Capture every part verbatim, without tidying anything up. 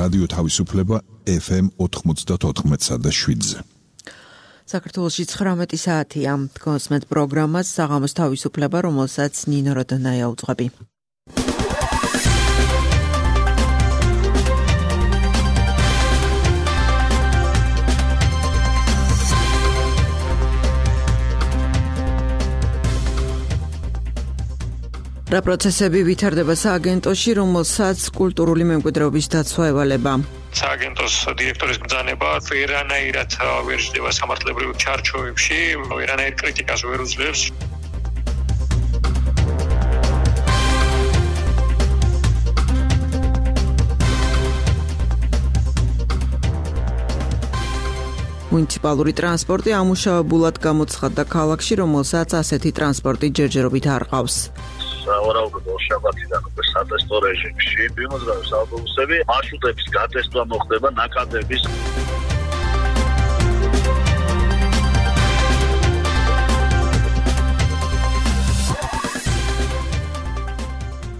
რადიო თავისუფლება ეფ ემ ოთხმოცდაოთხ და შვიდზე. საქართველოში ცხრამეტი საათია. გონსმეთ პროგრამას საღამოს თავისუფლება, რომელსაც ნინო როდონაია უძღვები. რა პროცესები ვითარდება სააგენტოში, რომელსაც კულტურული მემკვიდრეობის დაცვა ევალება? სააგენტოს დირექტორის ბრძანება ვერანაირად ვერ ჯდება სამართლებრივ ჩარჩოებში, ვერანაირ კრიტიკას ვერ უძლებს. მუნიციპალური ტრანსპორტი ამუშავებულად გამოცხადდა ქალაქში, რომელსაც ასეთი ტრანსპორტი ჯერჯერობით არ ყავს. სავარაუდოდ შაბათიდან უკვე სატესტო რეჟიმში მიმოძრავებს ავტობუსები, მარშრუტების გატესტვა მოხდება ნაკადების.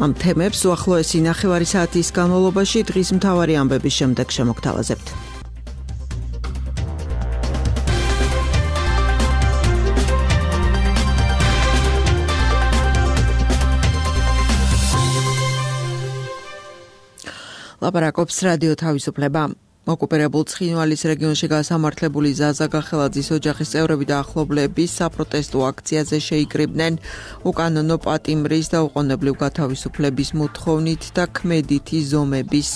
ამ თემებს უახლოესი ნახევარი საათის განმავლობაში დღის მთავარი ამბების შემდეგ შემოგთავაზებთ. ლაპარაკობს რადიო თავისუფლება. ოკუპირებულ ცხინვალის რეგიონში გასამართლებული ზაზა გახელაძის ოჯახის წევრები და ახლობლები საპროტესტო აქციაზე შეიკრიბნენ უკანონო პატიმრის და უყონებლივ გათავისუფლების მოთხოვნით და ქმედითი ზომების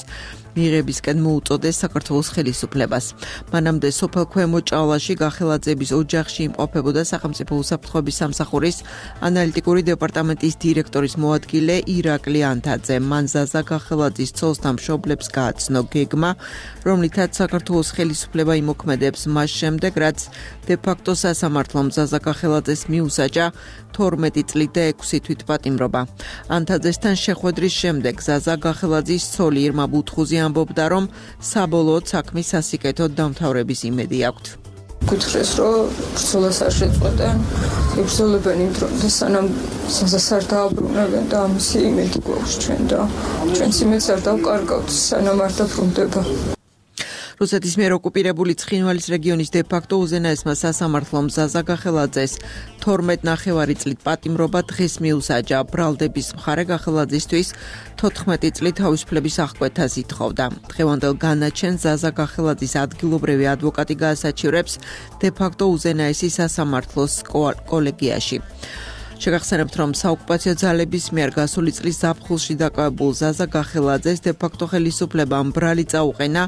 მიღებისკენ მოუწოდეს საქართველოს ხელისუფლებას. მანამდე სოფელ ქვემო ჭალაში გახელაძეების ოჯახში იმყოფებოდა სახელმწიფო უსაფრთხოების სამსახურის ანალიტიკური დეპარტამენტის დირექტორის მოადგილე ირაკლი ანთაძე. მან ზაზა გახელაძის ცოლს და მშობლებს გააცნო გეგმა, რომლითაც საქართველოს ხელისუფლება იმოქმედებს მას შემდეგ, რაც დე-ფაქტო სასამართლომ ზაზა გახელაძეს მიუსაჯა თორმეტი წლით და ექვსი თვით პატიმრობა. ანთაძესთან შეხვედრის შემდეგ ზაზა გახელაძის ცოლი ირმა ბუთხუზი ამბობდა, რომ საბოლოოდ საქმის სასიკეთოდ დამთავრების იმედი აქვთ. გითხრეს, რომ ბრძოლას არ შეწყვეტენ, იბრძოლებენ იმ დრომდე, სანამ ზაზას არ დააბრუნებენ და ამისი იმედი გვაქვს ჩვენ და ჩვენც იმედს არ დავკარგავთ, სანამ არ დაბრუნდება. რუსეთის მიერ ოკუპირებული ცხინვალის რეგიონის დე-ფაქტო უზენაესმა სასამართლომ ზაზა გახელაძეს თორმეტი ნახევარი წლით პატიმრობა დღეს მიუსაჯა. ბრალდების მხარე გახელაძისთვის თოთხმეტი წლით თავისუფლების აღკვეთას ითხოვდა. დღევანდელ განაჩენს ზაზა გახელაძის ადგილობრივი ადვოკატი გაასაჩივრებს დე-ფაქტო უზენაესი სასამართლოს კოლეგიაში. შეგახსენებთ, რომ საოკუპაციო ძალების მიერ გასული წლის ზაფხულში დაკავებულ ზაზა გახელაძეს დე-ფაქტო ხელისუფლებამ ბრალი წაუყენა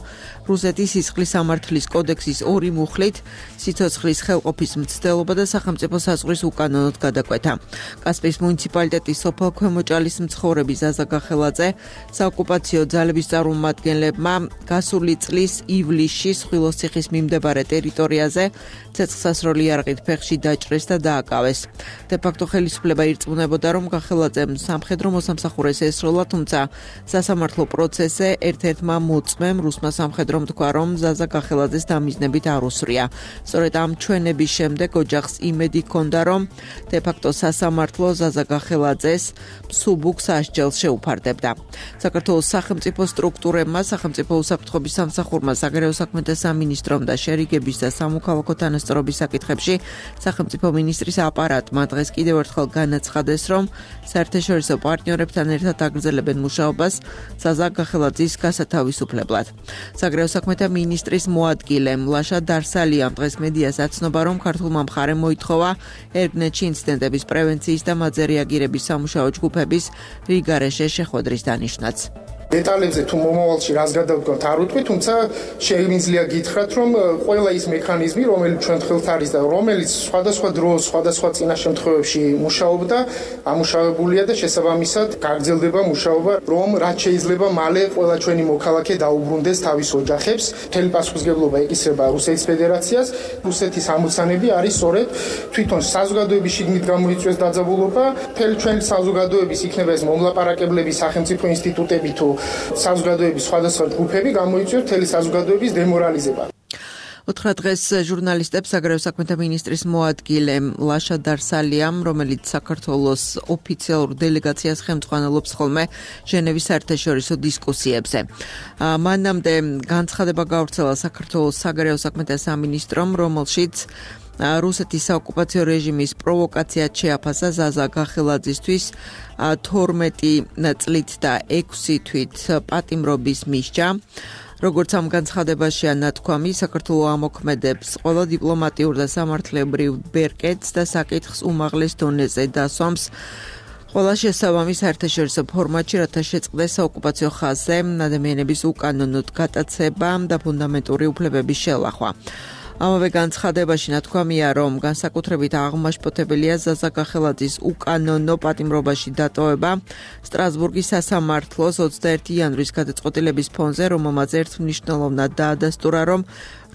რუსეთის სისხლის სამართლის კოდექსის ორი მუხლით, სიცოცხლის ხელყოფის მცდელობა და სახელმწიფო საზღვრის უკანონოდ გადაკვეთა. კასპიის მუნიციპალიტეტის სოფელ ქვემო ჭალის მცხოვრები ზაზა გახელაძე საოკუპაციო ძალების წარმომადგენლებმა გასული წლის ივლისში სხვილოსციხის მიმდებარე ტერიტორიაზე ცეცხლსასროლი იარაღით ფეხში დაჭრეს და დააკავეს. დე-ფაქტო ხელისუფლება ირწმუნებოდა, რომ გახელაძემ სამხედრო მოსამსახურეს ესროლა, თუმცა სასამართლო პროცესზე ერთ-ერთმა მოწმემ რუსმა სამხედრომ თქვა, რომ ზაზა გახელაძეს დამიზნებით არ უსვრია. სწორედ ამ ჩვენების შემდეგ ოჯახს იმედი ჰქონდა, რომ დე-ფაქტო სასამართლო ზაზა გახელაძეს მსუბუქ სასჯელს შეუფარდებდა. საქართველოს სახელმწიფო სტრუქტურებმა, სახელმწიფო უსაფრთხოების სამსახურმა, საგარეო საქმეთა სამინისტრომ და შერიგების და სამოქალაქო თანასწორობის საკითხებში სახელმწიფო მინისტრის აპარატმა დღეს კიდევ ერთხელ განაცხადეს, რომ საერთაშორისო პარტნიორებთან ერთად აგრძელებენ მუშაობას ზაზა გახელაძის გასათავისუფლებლად. საგარეო საქმეთა მინისტრის მოადგილე მლაშა დარსალიამ დღეს მედიას აცნობა, რომ ქართულმა მხარემ მოითხოვა ერგნეთში ინციდენტების პრევენციის და მათზე რეაგირების სამუშაო ჯგუფების რიგარეშე შეხვედრის დანიშვნაც. დეტალებზე თუ მომავალში რას გადავდგავთ არ ვიტყვი, თუმცა შეგვიძლია გითხრათ, რომ ყველა ის მექანიზმი, რომელიც ჩვენ ხელთ არის და რომელიც სხვადასხვა დროს, სხვადასხვა წინა შემთხვევებში მუშაობდა, ამუშავებულია და შესაბამისად გაგრძელდება მუშაობა, რომ რაც შეიძლება მალე ყველა ჩვენი მოქალაქე დაუბრუნდეს თავის ოჯახებს. მთელი პასუხისმგებლობა ეკისრება რუსეთის ფედერაციას. რუსეთის ამოცანები არის სწორედ თვითონ საზოგადოების შიგნით გამოიწვიოს დაძაბულობა, მთელი ჩვენი საზოგადოების იქნება ეს მომლაპარაკებლები, სახელმწიფო ინსტიტუტები თუ საზოგადოების სხვადასხვა ჯგუფები გამოიწვიოს მთელი საზოგადოების დემორალიზება. ოთხ დღეს ჟურნალისტებს საგარეო საქმეთა მინისტრის მოადგილე ლაშა დარსალიამ, რომელიც საქართველოს ოფიციალურ დელეგაციას ხელმძღვანელობს ხოლმე ჟენევის საერთაშორისო დისკუსიებზე. მანამდე განცხადება გავრცელა საქართველოს საგარეო საქმეთა სამინისტრომ, რომელშიც რუსეთის საოკუპაციო რეჟიმის პროვოკაციად შეაფასა ზაზა გახელაძისთვის თორმეტი წლით და ექვსი თვით პატიმრობის მისჯა. როგორც ამ განცხადებაშია ნათქვამი, საქართველო ამოქმედებს ყველა დიპლომატიურ და სამართლებრივ ბერკეტს და საკითხს უმაღლეს დონეზე დასვამს ყველა შესაბამის საერთაშორისო ფორმატში, რათა შეწყდეს საოკუპაციო ხაზზე ადამიანების უკანონოდ გატაცება და ფუნდამენტური უფლებების შელახვა. ამავე განცხადებაში ნათქვამია, რომ განსაკუთრებით აღმაშფოთებელია ზაზა გახელაძის უკანონო პატიმრობაში დატოვება სტრასბურგის სასამართლოს ოცდაერთი იანვრის გადაწყვეტილების ფონზე, რომელმაც ერთმნიშვნელოვნად დაადასტურა, რომ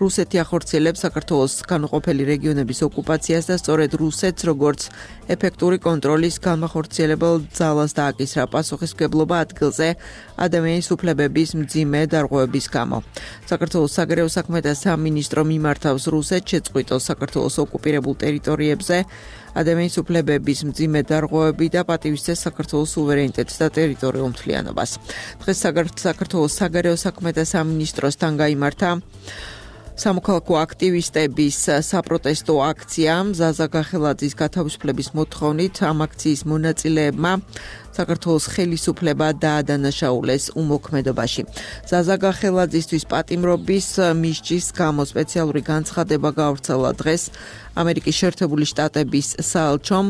რუსეთი ახორციელებს საქართველოს განუყოფელი რეგიონების ოკუპაციას და სწორედ რუსეთს როგორც ეფექტური კონტროლის განმახორციელებელ ძალას დააკისრა პასუხისმგებლობა ადგილზე ადამიანის უფლებების მძიმე დარღვევების გამო. საქართველოს საგარეო საქმეთა სამინისტრო მიმართავს რუსეთს შეწყვიტოს საქართველოს ოკუპირებულ ტერიტორიებზე ადამიანის უფლებების მძიმე დარღვევები და პატივისცეს საქართველოს სუვერენიტეტს და ტერიტორიულ მთლიანობას. დღეს საქართველოს საგარეო საქმეთა სამინისტროსთან გაიმართა სამოქალაქო აქტივისტების საპროტესტო აქცია ზაზა გახელაძის გათავისუფლების მოთხოვნით. ამ აქციის მონაწილეებმა საქართველოს ხელისუფლება დაადანაშაულეს უმოქმედობაში. ზაზა გახელაძისთვის პატიმრობის მისჯის გამო სპეციალური განცხადება გავრცელა დღეს ამერიკის შეერთებული შტატების საელჩომ.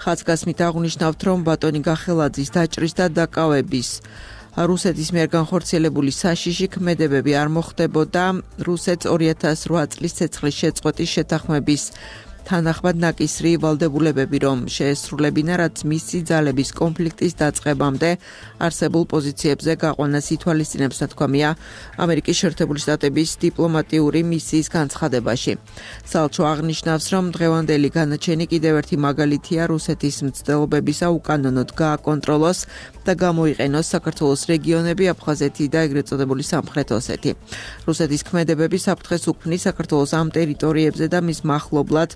ხაზგასმით აღნიშნავთ, რომ ბატონი გახელაძის დაჭრის და დაკავების რუსეთის მიერ განხორციელებული საშიში ქმედებები არ მოხდებოდა რუსეთს ორი ათას რვა წლის ცეცხლის შეწყვეტის შეთანხმების თანახმად ნაკისრი ვალდებულებები, რომ შეესრულებინა, რაც მისი ძალების კონფლიქტის დაწყებამდე არსებულ პოზიციებზე გაყვანას ითვალისწინებს, ნათქვამია ამერიკის შეერთებული შტატების დიპლომატიური მისიის განცხადებაში. საელჩო აღნიშნავს, რომ დღევანდელი განაჩენი კიდევ ერთი მაგალითია რუსეთის მცდელობებისა უკანონოდ გააკონტროლოს და გამოიყენოს საქართველოს რეგიონები, აფხაზეთი და ეგრეთ წოდებული სამხრეთ ოსეთი. რუსეთის ქმედებები საფრთხეს უქმნის საქართველოს ამ ტერიტორიებზე და მის მახლობლად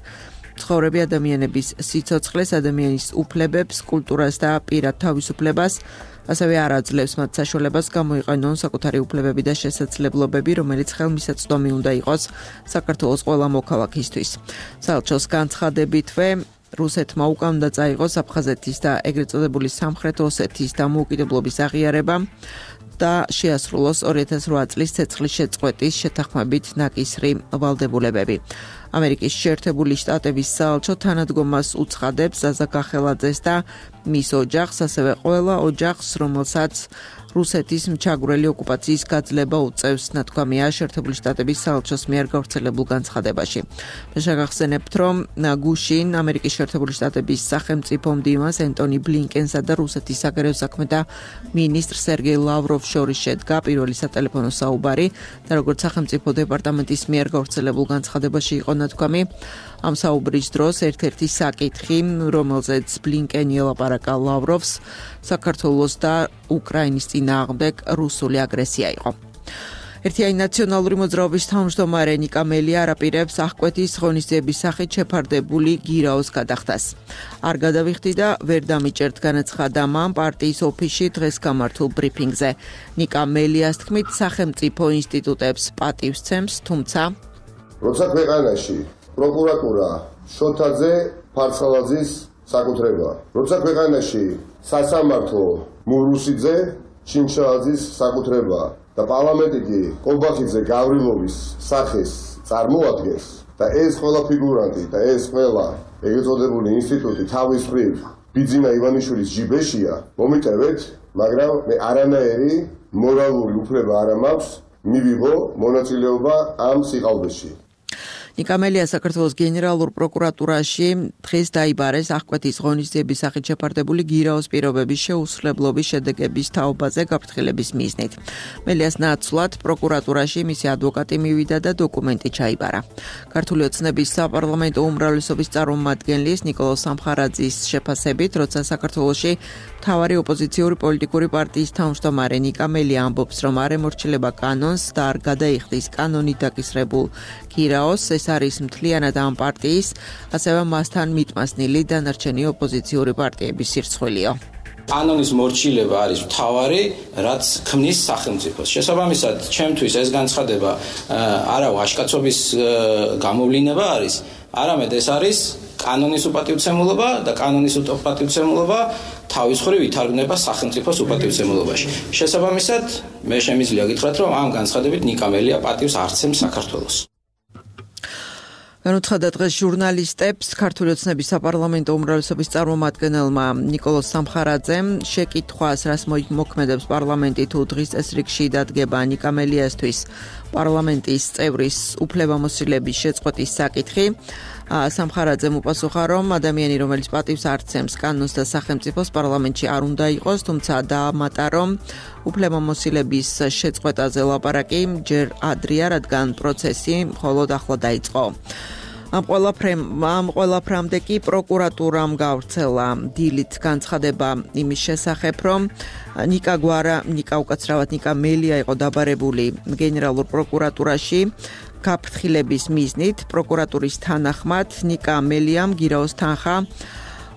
ცხოვრები ადამიანების სიცოცხლეს, ადამიანის უფლებებს, კულტურას და პირად თავისუფლებას, ასევე არ აძლევს მათ საშუალებას გამოიყენონ საკუთარი უფლებები და შესაძლებლობები, რომელიც ხელმისაწვდომი უნდა იყოს საქართველოს ყველა მოქალაქისთვის. საელჩოს განცხადებითვე რუსეთმა უკან უნდა წაიღოს აფხაზეთის და ეგრეთ წოდებული სამხრეთ ოსეთის დამოუკიდებლობის აღიარება და შეასრულოს ორი ათას რვა წლის ცეცხლის შეწყვეტის შეთანხმებით ნაკისრი ვალდებულებები. ამერიკის შეერთებული შტატების საელჩო თანადგომას უცხადებს ზაზა გახელაძეს და მის ოჯახს, ასევე ყველა ოჯახს, რომელსაც რუსეთის მჩაგვრელი ოკუპაციის გაძლება უწევს, ნათქვამია შეერთებული შტატების საელჩოს მიერ გავრცელებულ განცხადებაში. შეგახსენებთ, რომ გუშინ ამერიკის შეერთებული შტატების სახელმწიფო მდივანს ენტონი ბლინკენსა და რუსეთის საგარეო საქმეთა მინისტრ სერგეი ლავროვს შორის შედგა პირველი სატელეფონო საუბარი და როგორც სახელმწიფო დეპარტამენტის მიერ გავრცელებულ განცხადებაში იყო ნათქვამი, ამ საუბრის დროს ერთ-ერთი საკითხი, რომელზეც ბლინკენი ელაპარაკა ლავროვს, საქართველოს და უკრაინის წინააღმდეგ რუსული აგრესია იყო. ერთიანი ნაციონალური მოძრაობის თავმჯდომარე ნიკა მელია არაპირებს აღკვეთის ღონისძიების სახით შეფარდებული გირაოს გადახდას. არ გადავიხდი და ვერ დამიჭერთ, განაცხადა მან პარტიის ოფისში დღეს გამართულ ბრიფინგზე. ნიკა მელიას თქმით, სახელმწიფო ინსტიტუტებს პატივს სცემს, თუმცა როცა ქვეყანაში პროკურატურა შოთაძე ფარცხალაძის საკუთრება, როცა ქვეყანაში სასამართლო მურუსიძე ჩინჩააძის საკუთრება და პარლამენტი კი ყობახიძე გავრილოვის სახეს წარმოადგენს და ეს ყველა ფიგურანტი და ეს ყველა ეგრეთ წოდებული ინსტიტუტი თავის მხრივ ბიძინა ივანიშვილის ჯიბეშია, მომიტევეთ, მაგრამ მე არანაირი მორალური უფლება არ მაქვს მივიღო მონაწილეობა ამ სიყალბეში. ნიკა მელია საქართველოს გენერალურ პროკურატურაში დღეს დაიბარეს აღკვეთის ღონისძიების სახით შეფარდებული გირაოს პირობების შეუსრულებლობის შედეგების თაობაზე გაფრთხილების მიზნით. მელიას ნაცვლად პროკურატურაში მისი ადვოკატი მივიდა და დოკუმენტი ჩაიბარა. ქართული ოცნების საპარლამენტო უმრავლესობის წარმომადგენლის ნიკოლოზ სამხარაძის შეფასებით, როცა საქართველოში მთავარი ოპოზიციური პოლიტიკური პარტიის თავმჯდომარე ნიკა მელია ამბობს, რომ არ ემორჩილება კანონს და არ გადაიხდის კანონით დაკისრებულ გირაოს, ეს არის მთლიანად ამ პარტიის, ასევე მასთან მიტმასნილი დანარჩენი ოპოზიციური პარტიების სირცხვილიო. კანონის მორჩილება არის მთავარი, რაც ქმნის სახელმწიფოს. შესაბამისად, ჩემთვის ეს განცხადება არა ვაჟკაცობის გამოვლინება არის, არამედ ეს არის კანონის უპატივცემულობა და კანონის უპატივცემულობა თავის მხრივ ითარგმნება სახელმწიფოს უპატივცემულობაში. შესაბამისად, მე შემიძლია გითხრათ, რომ ამ განცხადებით ნიკა მელია პატივს არცემს საქართველოს. განუცხადა დღეს ჟურნალისტებს ქართული ოცნების საპარლამენტო უმრავლესობის წარმომადგენელმა ნიკოლოზ სამხარაძემ შეკითხვას, რას მოქმედებს პარლამენტი თუ დღის წესრიგში დადგება ნიკა მელიასთვის პარლამენტის წევრის უფლებამოსილების შეწყვეტის საკითხი. სამხარაძემ უპასუხა, რომ ადამიანი, რომელიც პატივს არცემს კანონს და სახელმწიფოს პარლამენტში არ უნდა იყოს, თუმცა დაამატა, რომ უფლებამოსილების შეწყვეტაზე ლაპარაკი ჯერ ადრეა, რადგან პროცესი მხოლოდ ახლა დაიწყო. ამ ყველაფრამდე კი პროკურატურამ გავრცელა დილით განცხადება იმის შესახებ, რომ ნიკა გვარა, ნიკა უკაცრავად ნიკა მელია იყო დაბარებული გენერალურ პროკურატურაში გაფრთხილების მიზნით. პროკურატურის თანახმად ნიკა მელიამ გირაოს თანხა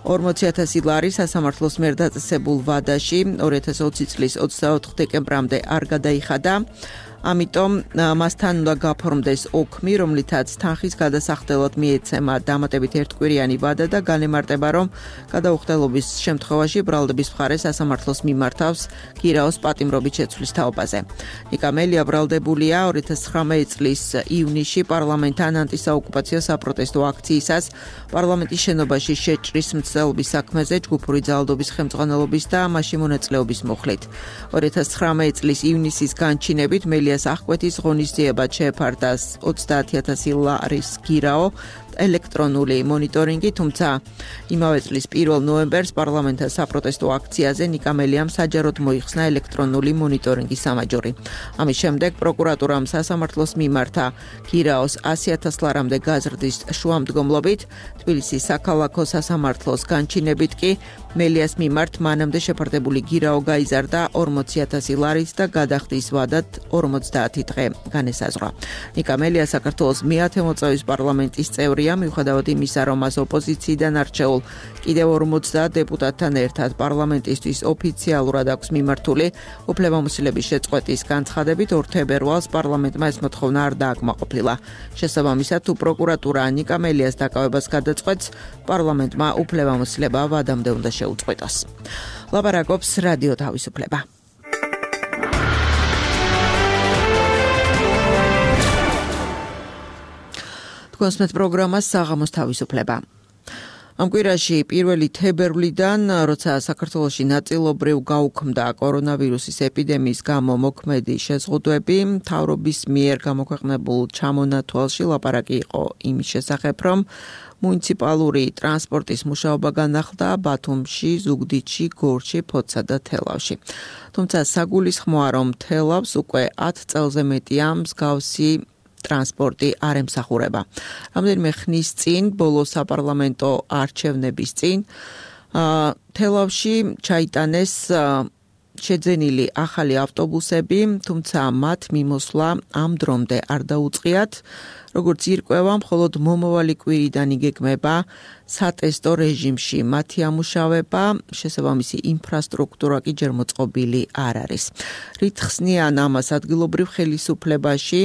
ორმოცი ათასი ლარი სასამართლოს მიერ დაწესებულ ვადაში ორი ათას ოცი წლის ოცდაოთხ დეკემბრამდე არ გადაიხადა. ამიტომ მასთან უნდა გაფორმდეს ოქმი, რომლითაც თანხის გადასახდელად მიეცემა დამატებით ერთკვირიანი ვადა და განემარტება, რომ გადაუხდელობის შემთხვევაში ბრალდების მხარე სასამართლოს მიმართავს გირაოს პატიმრობით შეცვლის თაობაზე. ნიკა მელია ბრალდებულია ორი ათას ცხრამეტი წლის ივნისში პარლამენტთან ანტისაოკუპაციო საპროტესტო აქციისას პარლამენტის შენობაში შეჭრის მცდელობის საქმეზე ჯგუფური ძალადობის ხელმძღვანელობის და მასში მონაწილეობის მუხლით. ორი ათას ცხრამეტი წლის ივნისის განჩინებით მელია აღკვეთის ღონისძიებად შეეფარდა ოცდაათი ათასი ლარის გირაო ელექტრონული მონიტორინგი, თუმცა იმავე წლის პირველ ნოემბერს პარლამენტთან საპროტესტო აქციაზე ნიკა მელიამ საჯაროდ მოიხსნა ელექტრონული მონიტორინგის სამაჯური. ამის შემდეგ პროკურატურამ სასამართლოს მიმართა გირაოს ასი ათას ლარამდე გაზრდის შუამდგომლობით, თბილისის საქალაქო სასამართლოს განჩინებით კი მელიას მიმართ მანამდე შეფარდებული გირაო გაიზარდა ორმოცი ათასი ლარით და გადახდის ვადად ორმოცდაათი დღე განესაზღვრა. ნიკა მელია საქართველოს მეათე მოწვევის პარლამენტის წევრია, მიუხედავად იმისა, რომ მას ოპოზიციიდან არჩეულ კიდევ ორმოცდაათ დეპუტატთან ერთად პარლამენტისთვის ოფიციალურად აქვს მიმართული უფლებამოსილების შეწყვეტის განცხადებით, ორ თებერვალს პარლამენტმა ეს მოთხოვნა არ დააკმაყოფილა. შესაბამისად, თუ პროკურატურა ნიკა მელიას დაკავებას გადაწყვეტს, პარლამენტმა უფლებამოსილება ვადამდე უნდა შეუწყვეტოს. ლაპარაკობს რადიო თავისუფლება. კონსმეთ პროგრამას საღამოს თავისუფლება. ამ კვირაში პირველი თებერვლიდან, როცა საქართველოში ნაწილობრივ გაუქმდა კორონავირუსის ეპიდემიის გამო მოქმედი შეზღუდვები, მთავრობის მიერ გამოქვეყნებულ ჩამონათვალში ლაპარაკი იყო იმის შესახებ, რომ მუნიციპალური ტრანსპორტის მუშაობა განახლდა ბათუმში, ზუგდიდში, გორში, ფოთსა და თელავში. თუმცა საგულისხმოა, რომ თელავს უკვე ათ წელზე მეტია მსგავსი ტრანსპორტი არ ემსახურება. რამდენიმე ხნის წინ, ბოლო საპარლამენტო არჩევნების წინ, თელავში ჩაიტანეს შეძენილი ახალი ავტობუსები, თუმცა მათ მიმოსვლა ამ დრომდე არ დაუწყიათ. როგორც ირკვევა, მხოლოდ მომავალი კვირიდან იგეგმება სატესტო რეჟიმში მათი ამუშავება, შესაბამისი ინფრასტრუქტურა კი ჯერ მოწყობილი არ არის. რით ხსნიან ამას ადგილობრივ ხელისუფლებაში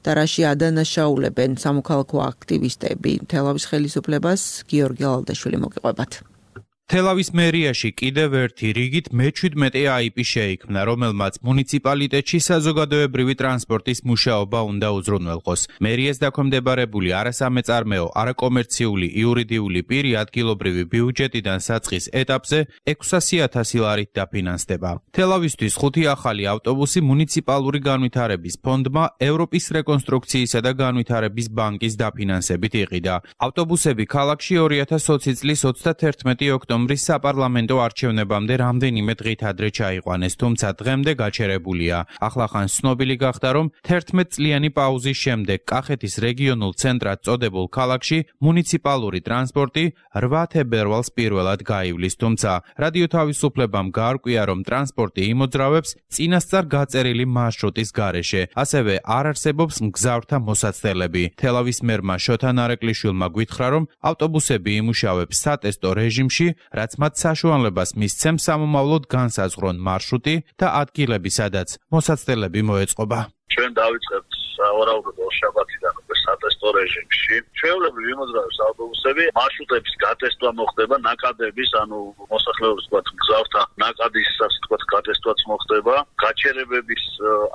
და რაში ადანაშაულებენ სამოქალაქო აქტივისტები თელავის ხელისუფლებას, გიორგი ალალდაშვილი მოგიყვებათ. თელავის მერიაში კიდევ ერთი რიგით მეჩვიდმეტე აიპი შეიქმნა, რომელმაც მუნიციპალიტეტში საზოგადოებრივი ტრანსპორტის მუშაობა უნდა უზრუნველყოს. მერიას დაქვემდებარებული არასამეწარმეო, არაკომერციული იურიდიული პირი ადგილობრივი ბიუჯეტიდან საწყის ეტაპზე ექვსასი ათასი ლარით დაფინანსდება. თელავისთვის ხუთი ახალი ავტობუსი მუნიციპალური განვითარების ფონდმა ევროპის რეკონსტრუქციისა და განვითარების ბანკის დაფინანსებით იყიდა. ავტობუსები ქალაქში ორი ათას ოცი წლის ოცდათერთმეტი ოქტომბრის ოქტომბრის საპარლამენტო არჩევნებამდე რამდენიმე დღით ადრე ჩაიყვანეს, თუმცა დღემდე გაჩერებულია. ახლახან ცნობილი გახდა, რომ თერთმეტ წლიანი პაუზის შემდეგ კახეთის რეგიონულ ცენტრად წოდებულ ქალაქში მუნიციპალური ტრანსპორტი რვა თებერვალს პირველად გაივლის, თუმცა რადიო თავისუფლებამ გაარკვია, რომ ტრანსპორტი იმოძრავებს წინასწარ გაწერილი მარშრუტის გარეშე, ასევე არ არსებობს მგზავრთა მოსაცდელები. თელავის მერმა შოთა ნარეკლიშვილმა გვითხრა, რომ ავტობუსები იმუშავებს სატესტო რეჟიმში, რაც მათ საშუალებას მისცემს სამომავლოდ განსაზღვრონ მარშრუტი და ადგილები, სადაც მოსაცდელები მოეწყობა. ჩვენ დავიწყებთ სავარაუდოდ შაბათიდან უკვე სატესტო რეჟიმში. ჩვეულებრივ იმოძრავებს ავტობუსები, მარშრუტების გატესტვა მოხდება, ნაკადების, ანუ მოსახლეობის თქვათ მგზავრთა ნაკადის თქვათ გატესტვაც მოხდება, გაჩერებების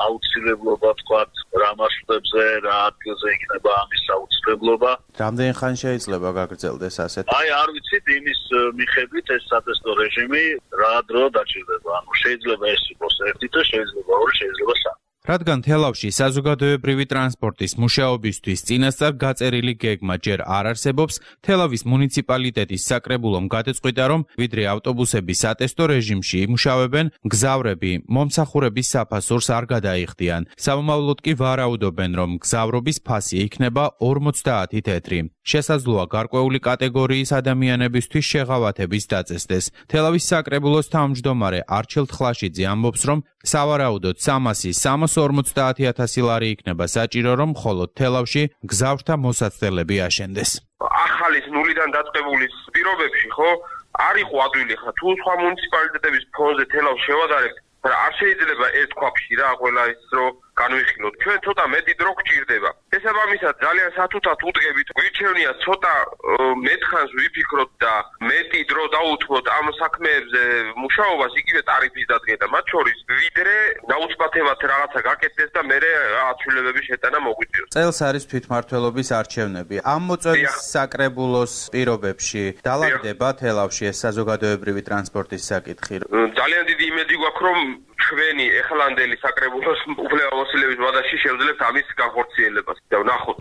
აუცილებლობა თქვათ რა მარშრუტებზე, რა ადგილზე იქნება ამის აუცილებლობა. რამდენი ხანი შეიძლება გაგრძელდეს ასეთ? აი არ ვიცით იმის მიხედვით ეს სატესტო რეჟიმი რა დრო დაჭირდება. ანუ შეიძლება ეს იყოს ერთი და შეიძლება ორი, შეიძლება სამი. რადგან თელავში საზოგადოებრივი ტრანსპორტის მუშაობისთვის წინასწარ გაწერილი გეგმა ჯერ არ არსებობს, თელავის მუნიციპალიტეტის საკრებულომ გადაწყვიტა, რომ ვიდრე ავტობუსები სატესტო რეჟიმში იმუშავებენ, მგზავრები მომსახურების საფასურს არ გადაიხდიან. სამომავლოდ კი ვარაუდობენ, რომ მგზავრობის ფასი იქნება ორმოცდაათი თეთრი. შესაძლოა გარკვეული კატეგორიის ადამიანებისთვის შეღავათების დაწესდეს. თელავის საკრებულოს თავმჯდომარე არჩილ თხლაშიძე ამბობს, რომ სავარაუდოდ სამასი სამას ორმოცდაათი ათასი ლარი იქნება საჭირო, რომ მხოლოდ თელავში მგზავრთა მოსაცდელები აშენდეს. ახალის ნულიდან დაწყებული პირობებში, ხო, არ იყო ადვილი ხა თუ სხვა მუნიციპალიტეტების ფონზე თელავს შევადარებთ, არ შეიძლება ერთ ქვაფში რა ყველა ის რომ განვიხილოთ. ჩვენ ცოტა მეტი დრო გჭირდება. შესაბამისად ძალიან სათუთად უდგებით. გვირჩევნია ცოტა მეთხანს ვიფიქროთ და მეტი დრო დაუთმოთ ამ საქმეებზე მუშაობას, იგივე ტარიფის დადგენა. მათ შორის ვიდრე დაუცბათებად რაღაცა გაკეთდეს და მერე აცვლილებების შეტანა მოგვიწევს. წელს არის თვითმმართველობის არჩევნები. ამ მოწვევის საკრებულოს პირობებში დალაგდება თელავში ეს საზოგადოებრივი ტრანსპორტის საკითხი. ძალიან დიდი იმედი გვაქვს, რომ ჩვენი ეხლანდელი საკრებულოს უფლებამოსილების ვადაში შევძლებთ ამის განხორციელებას და ვნახოთ.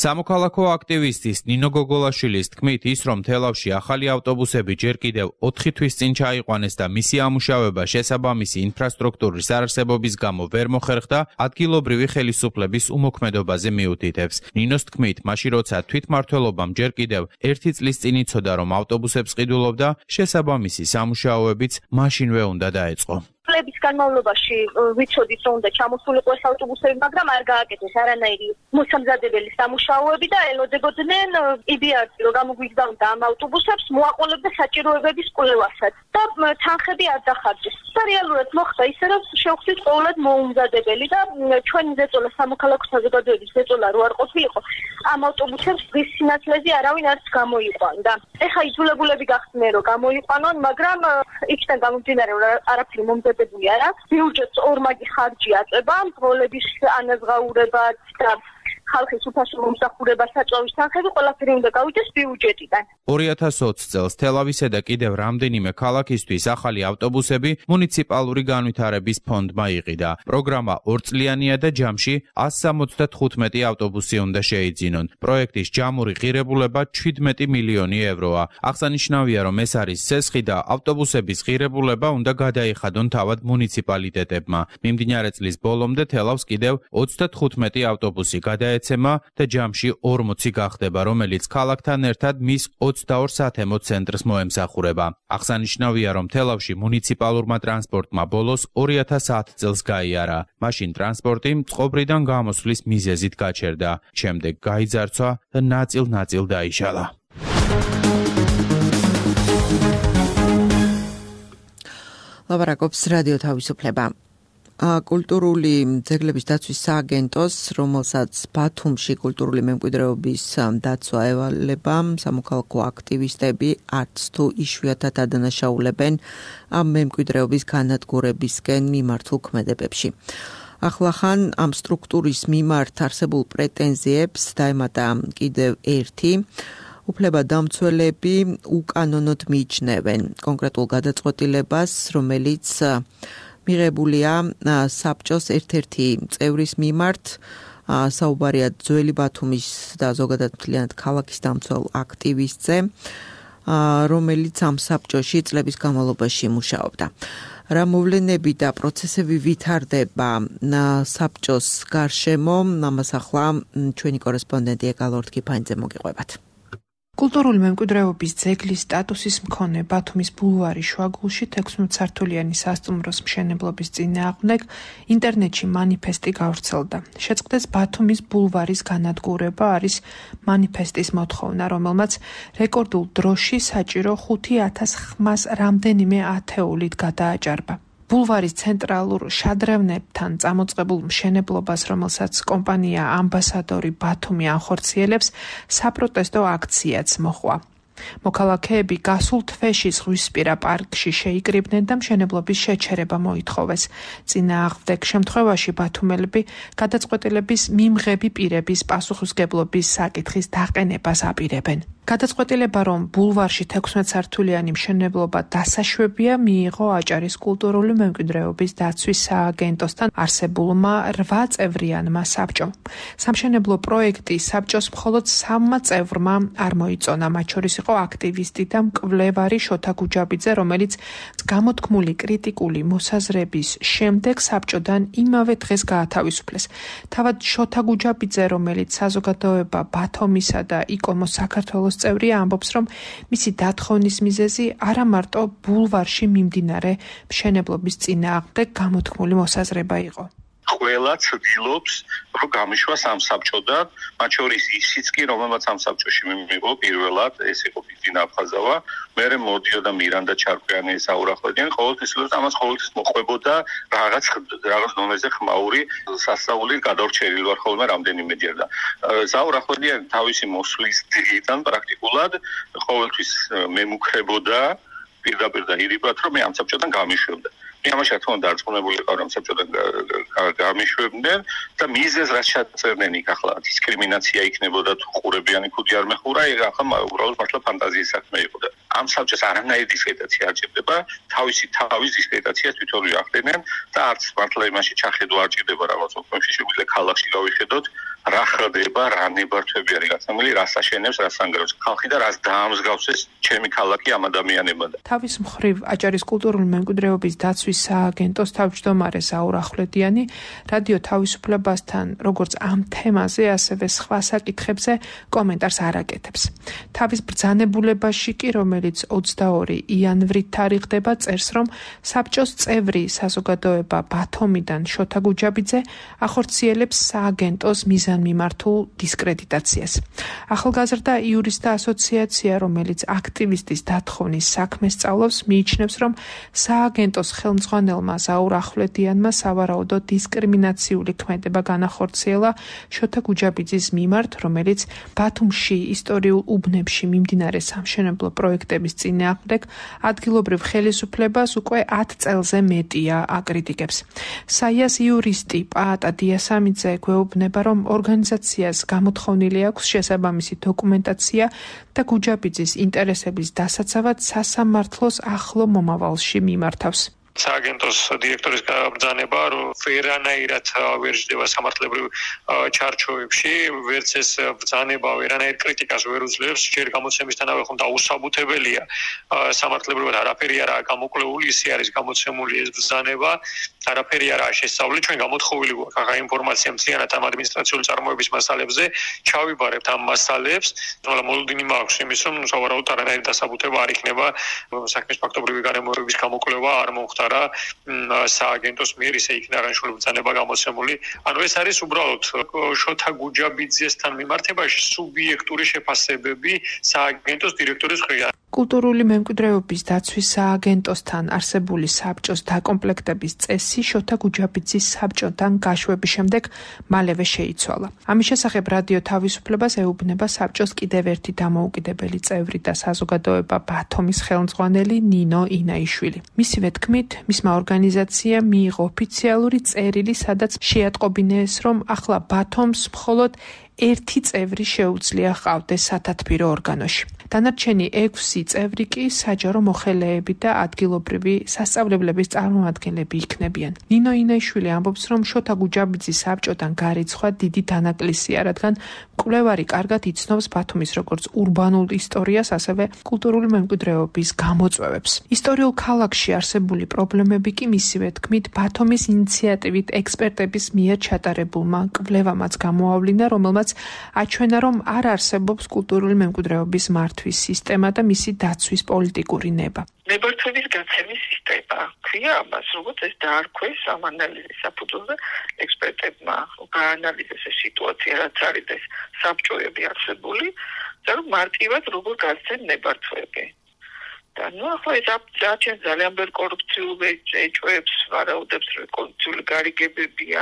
სამოქალაქო აქტივისტის ნინო გოგოლაშვილის თქმით, ის რომ თელავში ახალი ავტობუსები ჯერ კიდევ ოთხი თვის წინ ჩაიყვანეს და მისი ამუშავება შესაბამისი ინფრასტრუქტურის არარსებობის გამო ვერ მოხერხდა, ადგილობრივი ხელისუფლების უმოქმედობაზე მიუთითებს. ნინოს თქმით, მაშინ როცა თვითმმართველობამ ჯერ კიდევ ერთი წლის წინ იცოდა, რომ ავტობუსებს ყიდულობდა, შესაბამისი სამუშაოებიც მაშინვე უნდა დაეწყო. წლების განმავლობაში ვიცოდით, რომ უნდა ჩამოსულიყო ეს ავტობუსები, მაგრამ არ გააკეთეს არანაირი მოსამზადებელი სამუშაოები და ელოდებოდნენ იბიარსი, რომ გამოგვიგზავნდა ამ ავტობუსებს, მოაყოლებდა საჭიროებების კვლევასაც და თანხები არ დახარჯეს. და რეალურად მოხდა ისე, რომ შევხვდით ყოველად მოუმზადებელი და ჩვენი ზეწოლა სამოქალაქო საზოგადოების ზეწოლა რო არ ყოფილიყო, ამ ავტობუსებს დღის სინათლეზე არავინ არც გამოიყვანდა. ეხა იძულებულები გახდნენ, რომ გამოიყვანონ, მაგრამ იქიდან გამომდინარე, რომ არაფერი მომზადებული არა. ბიუჯეტს ორმაგი ხარჯი აწება, მრგოლების ანაზღაურებაც და ხალხის უფასო მომსახურება საწვავის თანხები ყველაფერი უნდა გავიდეს ბიუჯეტიდან. ორი ათას ოცი წელს თელავისა და კიდევ რამდენიმე ქალაქისთვის ახალი ავტობუსები მუნიციპალური განვითარების ფონდმა იყიდა. პროგრამა ორწლიანია და ჯამში ასი სამოცდათხუთმეტი ავტობუსი უნდა შეიძინონ. პროექტის ჯამური ღირებულება შვიდმეტი მილიონი ევროა. აღსანიშნავია, რომ ეს არის სესხი და ავტობუსების ღირებულება უნდა გადაიხადონ თავად მუნიციპალიტეტებმა. მიმდინარე წლის ბოლომდე თელავს კიდევ ოცდათხუთმეტი ავტობუსი გადაეცემა და ჯამში ორმოცი გახდება, რომელიც ქალაქთან ერთად მის ოცდაორ სათემო ცენტრს მოემსახურება. აღსანიშნავია, რომ თელავში მუნიციპალურმა ტრანსპორტმა ბოლოს ორი ათას ათი წელს გაიარა. მაშინ ტრანსპორტი წყობრიდან გამოსვლის მიზეზით გაჩერდა. შემდეგ გაიძარცვა და ნაწილ-ნაწილ დაიშალა. ლაპარაკობს რადიო თავისუფლება. კულტურული ძეგლების დაცვის სააგენტოს, რომელსაც ბათუმში კულტურული მემკვიდრეობის დაცვა ევალება, სამოქალაქო აქტივისტები არც თუ იშვიათად ადანაშაულებენ ამ მემკვიდრეობის განადგურებისკენ მიმართულ ქმედებებში. ახლახან ამ სტრუქტურის მიმართ არსებულ პრეტენზიებს დაემატა კიდევ ერთი. უფლებადამცველები უკანონოდ მიიჩნევენ კონკრეტულ გადაწყვეტილებას, რომელიც მიღებულია საბჭოს ერთ-ერთი წევრის მიმართ. საუბარია ძველი ბათუმის და ზოგადად მთლიანად ქალაქის დამცველ აქტივისტზე. რომელიც ამ საბჭოში წლების განმავლობაში მუშაობდა. რა მოვლენები და პროცესები ვითარდება საბჭოს გარშემო, ამას ახლა ჩვენი კორესპონდენტი ეკალორდ კიფანიძე მოგიყვებათ. კულტურული მემკვიდრეობის ძეგლის სტატუსის მქონე ბათუმის ბულვარი შუაგულში თექვსმეტ სართულიანი სასტუმროს მშენებლობის წინააღმდეგ ინტერნეტში მანიფესტი გავრცელდა. შეწყდეს ბათუმის ბულვარის განადგურება არის მანიფესტის მოთხოვნა, რომელმაც რეკორდულ დროში საჭირო ხუთი ათას ხმას რამდენიმე ათეულით გადააჭარბა. ბულვარის ცენტრალურ შადრევნებთან წამოწყებულ მშენებლობას, რომელსაც კომპანია ამბასადორი ბათუმი ანხორციელებს, საპროტესტო აქციაც მოჰყვა. მოქალაქეები გასულ თვეში ზღვისპირა პარკში შეიკრიბნენ და მშენებლობის შეჩერება მოითხოვეს. წინააღმდეგ შემთხვევაში ბათუმელები გადაწყვეტილების მიმღები პირების პასუხისმგებლობის საკითხის დაყენებას აპირებენ. გადაწყვეტილება, რომ ბულვარში თექვსმეტ სართულიანი მშენებლობა დასაშვებია, მიიღო აჭარის კულტურული მემკვიდრეობის დაცვის სააგენტოსთან არსებულმა რვა წევრიანმა საბჭომ. სამშენებლო პროექტი საბჭოს მხოლოდ სამმა წევრმა არ მოიწონა, მათ შორის იყო აქტივისტი და მკვლევარი შოთა გუჯაბიძე, რომელიც გამოთქმული კრიტიკული მოსაზრების შემდეგ საბჭოდან იმავე დღეს გაათავისუფლეს. თავად შოთა გუჯაბიძე, რომელიც საზოგადოება ბათუმისა და იკომოს საქართველოს წევრია, ამბობს, რომ მისი დათხოვნის მიზეზი არა მარტო ბულვარში მიმდინარე მშენებლობის წინააღმდეგ გამოთქმული მოსაზრება იყო. ყველა ცდილობს, რომ გამიშვა ამ საბჭოდან, მათ შორის ისიც კი, რომელმაც ამ საბჭოში მიიღო პირველად, ეს იყო ბიძინა აფხაზავა, მერე მოდიოდა მირანდა ჩარკვიანი, საურახოდიანი, ყოველთვის ცდილობს ამას ყოველთვის მოყვებოდა რაღაც რაღაც დონეზე ხმაური სასწაული გადავრჩენილი ვარ ხოლმე რამდენიმეჯერ და საურახოდიანი თავისი მოსვლის დღიდან პრაქტიკულად ყოველთვის მემუქრებოდა პირდაპირ და ირიბად, რომ მე ამ საბჭოდან გამიშვებდა. ამაში რა თქმა უნდა არწმუნებული იყო რომ საბჭოდან გამიშვებდნენ და მიზეზ რაც ჩაწერდნენ იქ ახლა დისკრიმინაცია იქნებოდა თუ ყურებიანი ქუდი არ მეხურა, ეგ ახლა უბრალოდ მართლა ფანტაზიის საქმე იყო და ამ საბჭოს არანაირი დისკრედიტაცია არ ჭირდება, თავისი თავის დისკრედიტაციას თვითონ ვიახდენენ და არც მართლა იმაში ჩახედვა არ ჭირდება რაღაც ოქმებში შეგვიძლია ქალაქში გავიხედოთ რა ხდება, რა ნებართვები არის გაცემული, რას აშენებს, რას ანგრევს ხალხი და რას დაამსგავსეს ჩემი ქალაქი ამ ადამიანებად. თავის მხრივ აჭარის კულტურული მემკვიდრეობის დაცვის სააგენტოს თავმჯდომარე ზაურ ახვლედიანი რადიო თავისუფლებასთან როგორც ამ თემაზე, ასევე სხვა საკითხებზე კომენტარს არ აკეთებს. თავის ბრძანებულებაში კი, რომელიც ოცდაორი იანვრით თარიღდება, წერს, რომ საბჭოს წევრი საზოგადოება ბათუმიდან შოთა გუჯაბიძე ახორციელებს სააგენტოს მიზანმიმართულ დისკრედიტაციას. ახალგაზრდა იურისტთა ასოციაცია, რომელიც აქტივისტის დათხოვნის საქმეს სწავლობს, მიიჩნევს, რომ სააგენტოს ხელმძღვანელმა ზაურ ახვლედიანმა სავარაუდოდ დისკრიმინაციული ქმედება განახორციელა შოთა გუჯაბიძის მიმართ, რომელიც ბათუმში ისტორიულ უბნებში მიმდინარე სამშენებლო პროექტების წინააღმდეგ ადგილობრივ ხელისუფლებას უკვე ათ წელზე მეტია აკრიტიკებს. საიას იურისტი პაატა დიასამიძე გვეუბნება, რომ ორგანიზაციას გამოთხოვნილი აქვს შესაბამისი დოკუმენტაცია და გუჯაბიძის ინტერესების დასაცავად სასამართლოს ახლო მომავალში მიმართავს. სააგენტოს დირექტორის ბრძანება, რომ ვერანაირად ვერ ჯდება სამართლებრივ ჩარჩოებში, ვერც ეს ბრძანება ვერანაირ კრიტიკას ვერ უძლებს, ჯერ გამოცემისთანავე ხომ დაუსაბუთებელია. სამართლებრივად არაფერი არაა გამოკვლეული, ისე არის გამოცემული ეს ბრძანება, არაფერი არაა შესწავლილი, ჩვენ გამოთხოვილი გვაქვს ახლა ინფორმაცია მთლიანად ამ ადმინისტრაციული წარმოების მასალებზე, ჩავიბარებთ ამ მასალებს, მაგრამ მოლოდინი მაქვს იმის, რომ სავარაუდოდ არანაირი დასაბუთება არ იქნება საქმის ფაქტობრივი გარემოებების გამოკვლევა არ მოხდა რა სააგენტოს მიერ ისე იქნა აღნიშნული ბრძანება გამოცემული. ანუ ეს არის უბრალოდ შოთა გუჯაბიძესთან მიმართებაში სუბიექტური შეფასებები სააგენტოს დირექტორის მხრიდან. კულტურული მემკვიდრეობის დაცვის სააგენტოსთან არსებული საბჭოს დაკომპლექტების წესი შოთა გუჯაბიძის საბჭოდან გაშვების შემდეგ მალევე შეიცვალა. ამის შესახებ რადიო თავისუფლებას ეუბნება საბჭოს კიდევ ერთი დამოუკიდებელი წევრი და საზოგადოება ბათუმის ხელმძღვანელი ნინო ინაიშვილი. მისივე თქმით, მისმა ორგანიზაციამ მიიღო ოფიციალური წერილი, სადაც შეატყობინეს, რომ ახლა ბათუმს მხოლოდ ერთი წევრი შეუძლია ჰყავდეს სათათბირო ორგანოში. დანარჩენი ექვსი წევრი კი საჯარო მოხელეები და ადგილობრივი სასწავლებლების წარმომადგენლები იქნებიან. ნინო ინაიშვილი ამბობს, რომ შოთა გუჯაბიძის საბჭოდან გარიცხვა დიდი დანაკლისია, რადგან მკვლევარი კარგად იცნობს ბათუმის როგორც ურბანულ ისტორიას, ასევე კულტურული მემკვიდრეობის გამოწვევებს. ისტორიულ ქალაქში არსებული პრობლემები კი მისივე თქმით ბათუმის ინიციატივით ექსპერტების მიერ ჩატარებულმა კვლევამაც გამოავლინა, რომელმაც აჩვენა, რომ არ არსებობს კულტურული მემკვიდრეობის მართვის სისტემა და მისი დაცვის პოლიტიკური ნება. ნებართვების გაცემის სისტემა ქვია ამას, როგორც ეს დაარქვეს ამ ანალიზის საფუძველზე ექსპერტებმა გაანალიზეს ეს სიტუაცია, რაც არის ეს საბჭოები არსებული და რომ მარტივად როგორ გაცემ ნებართვები. და ნუ ახლა ეს აჩვენს ძალიან ბევრ კორუფციულ ეჭვებს, ვარაუდებს, რომ კორუფციული გარიგებებია,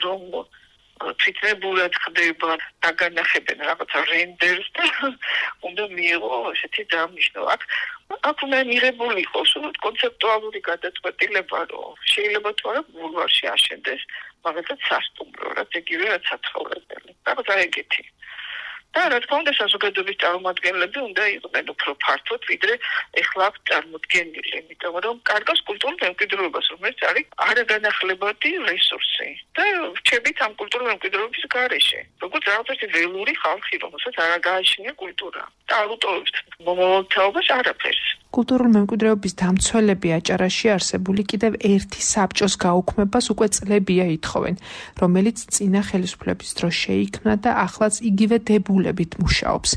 რომ თვითნებურად ხდება, დაგანახებენ რაღაცა რენდერს და უნდა მიიღო ესეთი დანიშნო. აქ აქ უნდა მიღებული იყოს კონცეპტუალური გადაწყვეტილება, რომ შეიძლება თუ არა ბულვარში აშენდეს მაგალითად სასტუმრო, რაც იგივე რაც საცხოვრებელი. რაღაცა ეგეთი. და რა თქმა უნდა საზოგადოების წარმომადგენლები უნდა იყვნენ უფრო ფართოდ, ვიდრე ეხლა აქ წარმოდგენილი, იმიტომ რომ კარგავს კულტურულ მემკვიდრეობას, რომელიც არის არაგანახლებადი რესურსი. და რჩებით ამ კულტურულ მემკვიდრეობის გარეშე. როგორც რაღაცა ველური ხალხი, რომელსაც არ გააჩნია კულტურა. და არ უტოვებს მომავალთაობას არაფერს. კულტურული მემკვიდრეობის დამცველები აჭარაში არსებული კიდევ ერთი საბჭოს გაუქმებას უკვე წლებია ითხოვენ, რომელიც წინა ხელისუფლების დროს შეიქმნა და ახლაც იგივე დებულებით მუშაობს.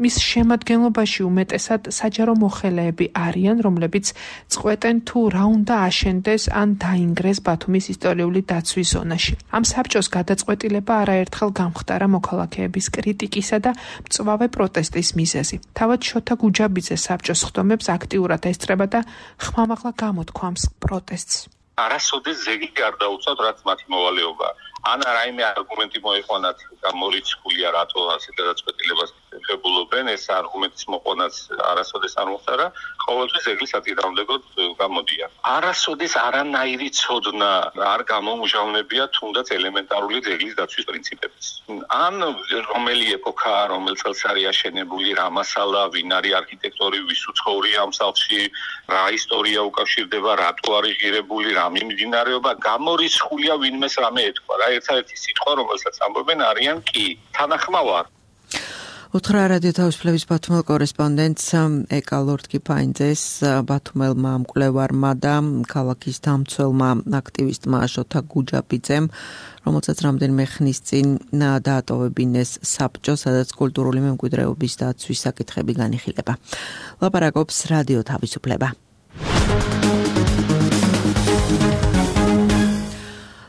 მის შემადგენლობაში უმეტესად საჯარო მოხელეები არიან, რომლებიც წყვეტენ თუ რა უნდა აშენდეს ან დაინგრეს ბათუმის ისტორიული დაცვის ზონაში. ამ საბჭოს გადაწყვეტილება არაერთხელ გამხდარა მოქალაქეების კრიტიკისა და მწვავე პროტესტის მიზეზი. თავად შოთა გუჯაბიძე საბჭოს ხდომებს აქტიურად ესწრება და ხმამაღლა გამოთქვამს პროტესტს. არასოდეს ზეგი არ დაუწევთ, რაც მათი მოვალეობა. ან რაიმე არგუმენტი მოიყვანათ გამორიცხულია, რატო ასე გადაწყვეტილებას ეხებულობენ, ეს არგუმენტის მოყვანაც არასოდეს არ მოხდარა, ყოველთვის ზეგლის აწინააღმდეგოდ გამოდია. არასოდეს არანაირი ცოდნა არ გამომჟავნებია თუნდაც ელემენტარული ზეგლის დაცვის პრინციპების. ან რომელი ეპოქაა, რომელ წელს არის აშენებული, რა მასალა, ვინ არის არქიტექტორი, ვის უცხოვრია ამ სახლში, რა ისტორია უკავშირდება, რატო არის ღირებული, რა მიმდინარეობა, გამორიცხულია ვინმეს რამე ეთქვა. რა ერთადერთი სიტყვა, რომელსაც ამბობენ, არიან კი თანახმავარ. უთხრა რადიო თავისუფლების ბათუმელ კორესპონდენტს ეკალორდ კიფაინძეს, ბათუმელმა მკვლევარმა და ქალაქის დამცველმა აქტივისტმა შოთა გუჯაბიძემ, რომელსაც რამდენიმე ხნის წინ დაატოვებინეს საბჭო, სადაც კულტურული მემკვიდრეობის დაცვის საკითხები განიხილება. ლაპარაკობს რადიო თავისუფლება.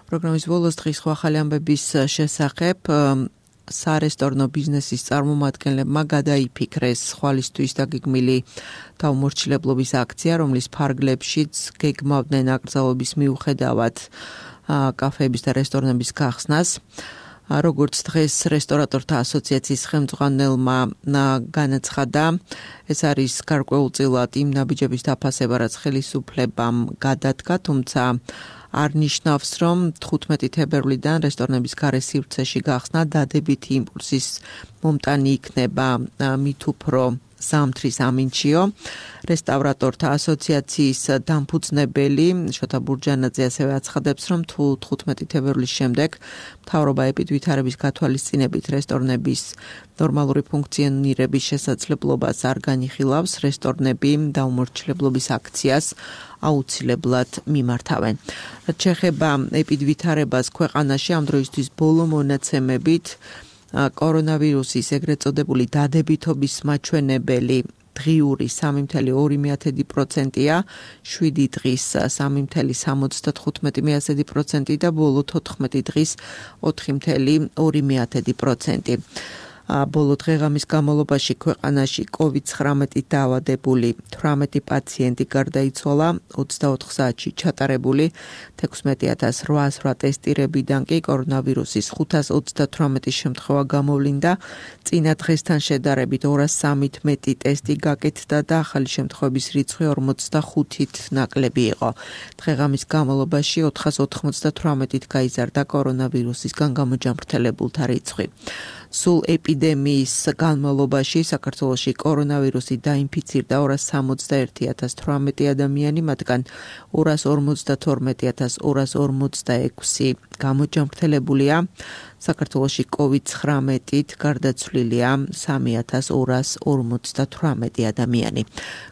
პროგრამის ბოლოს დღის ახალი ამბების შესახებ სარესტორნო ბიზნესის წარმომადგენლებმა გადაიფიქრეს ხვალისთვის დაგეგმილი დაუმორჩილებლობის აქცია, რომლის ფარგლებშიც გეგმავდნენ აკრძალვების მიუხედავად კაფეების და რესტორნების გახსნას. როგორც დღეს რესტორატორთა ასოციაციის ხელმძღვანელმა განაცხადა, ეს არის გარკვეულწილად იმ ნაბიჯების დაფასება, რაც ხელისუფლებამ გადადგა, თუმცა არ ნიშნავს, რომ თხუთმეტი თებერვლიდან რესტორნების გარე სივრცეში გახსნა დადებითი იმპულსის მომტანი იქნება მით უფრო ზამთრის ამინჩიო. რესტავრატორთა ასოციაციის დამფუძნებელი შოთა ბურჯანაძე ასევე აცხადებს, რომ თუ თხუთმეტი თებერვლის შემდეგ მთავრობა ეპიდვითარების გათვალისწინებით რესტორნების ნორმალური ფუნქციონირების შესაძლებლობას არ განიხილავს, რესტორნები დაუმორჩილებლობის აქციას აუცილებლად მიმართავენ. რაც შეეხება ეპიდვითარებას ქვეყანაში ამ დროისთვის ბოლო მონაცემებით კორონავირუსის ეგრეთ წოდებული დადებითობის მაჩვენებელი დღიური სამი წუთი ორი პროცენტია, შვიდი დღის სამი წუთი სამოცდათხუთმეტი პროცენტი და ბოლო თოთხმეტი დღის ოთხი წუთი ორი პროცენტი. ბოლო დღეღამის განმავლობაში ქვეყანაში კოვიდ ცხრამეტი დაავადებული თვრამეტი პაციენტი გარდაიცვალა, ოცდაოთხ საათში ჩატარებული თექვსმეტი ათას რვაასი ტესტირებიდან კი კორონავირუსის ხუთას ოცდათვრამეტი შემთხვევა გამოვლინდა, წინა დღესთან შედარებით ორას სამეთმეტი ტესტი გაკეთდა და ახალი შემთხვევების რიცხვი ორმოცდახუთით ნაკლები იყო. დღეღამის განმავლობაში ოთხას ოთხმოცდათვრამეტით გაიზარდა კორონავირუსისგან გამოჯამრთელებულთა რიცხვი. სულ ეპიდემიის განმავლობაში საქართველოში კორონავირუსით დაინფიცირდა ორას სამოცდაერთი ათას თვრამეტი ადამიანი, მათგან ორას ორმოცდათორმეტი ათას ორას ორმოცდაექვსი გამოჯანმრთელებულია. საქართველოში კოვიდ ცხრამეტით გარდაცვლილია სამი ათას ორას ორმოცდათვრამეტი ადამიანი.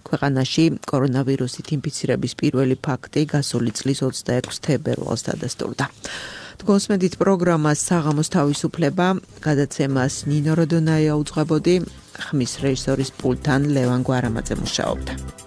ქვეყანაში კორონავირუსით ინფიცირების პირველი ფაქტი გასული წლის ოცდაექვსი თებერვალს დადასტურდა. თქვენსმენთ პროგრამას საღამოს თავისუფლება, გადაცემას ნინო როდონაია უძღვებოდი, ხმის რეჟისორის პულტთან ლევან გვარამაძე მუშაობდა.